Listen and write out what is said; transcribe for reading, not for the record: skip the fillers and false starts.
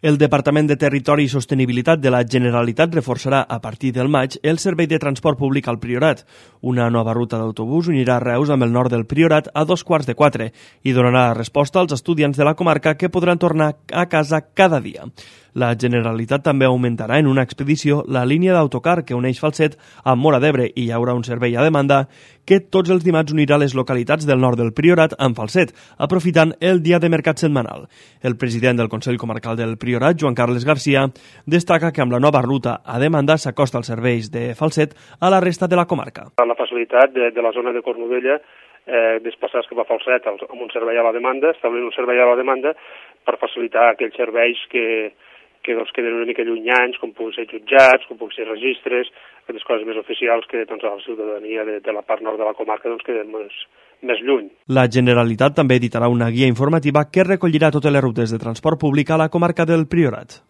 El Departament de Territori i Sostenibilitat de la Generalitat reforçarà a partir del maig el servei de transport públic al Priorat. Una nova ruta d'autobús unirà Reus amb el nord del Priorat a 3:15 i donarà resposta als estudiants de la comarca que podran tornar a casa cada dia. La Generalitat també augmentarà en una expedició la línia d'autocar que uneix Falset amb Móra d'Ebre i hi haurà un servei a demanda que tots els dimarts unirà les localitats del nord del Priorat amb Falset, aprofitant el dia de mercat setmanal. El president del Consell Comarcal del Priorat, Joan Carles Garcia, destaca que amb la nova ruta a demanda s'acosta els serveis de Falset a la resta de la comarca. La facilitat de la zona de Cornudella desplaçar-se cap a Falset amb un servei a la demanda, establint un servei a la demanda per facilitar aquells serveis que queden una mica llunyans, com puguin ser jutjats, com puguin ser registres, aquestes coses més oficials que a la ciutadania de la part nord de la comarca queden més lluny. La Generalitat també editarà una guia informativa que recollirà totes les rutes de transport públic a la comarca del Priorat.